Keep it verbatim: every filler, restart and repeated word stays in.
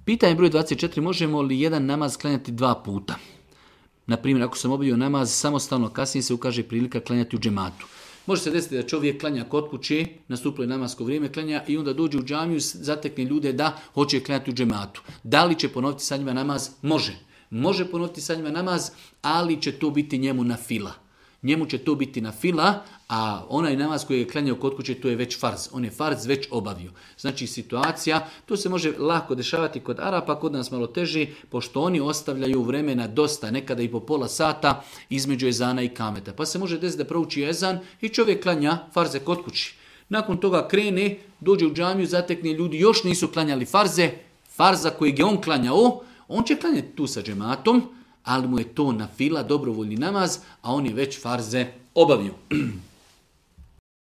Pitanje broj dvadeset četiri. Možemo li jedan namaz klanjati dva puta? Na primjer, ako sam obavio namaz samostalno, kasnije se ukaže prilika klanjati u džematu. Može se desiti da čovjek klanja kod kuće, nastupilo je namasko vrijeme klanja i onda dođe u džamiju, zatekne ljude da hoće klanjati u džematu. Da li će ponoviti sa njima namaz? Može. Može ponoviti sa njima namaz, ali će to biti njemu na fila. Njemu će to biti na fila, a onaj namaz koji je klanjao kod kuće, to je već farz. On je farz već obavio. Znači situacija, to se može lako dešavati kod Arapa, kod nas malo teži, pošto oni ostavljaju vremena dosta, nekada i po pola sata, između ezana i kameta. Pa se može desiti da prouči ezan i čovjek klanja farze kod kući. Nakon toga krene, dođe u džamiju, zatekne ljudi, još nisu klanjali farze, farza kojeg je on klanjao, on će klanjati tu sa džematom, ali mu je to na fila, dobrovoljni namaz, a on je već farze obavio.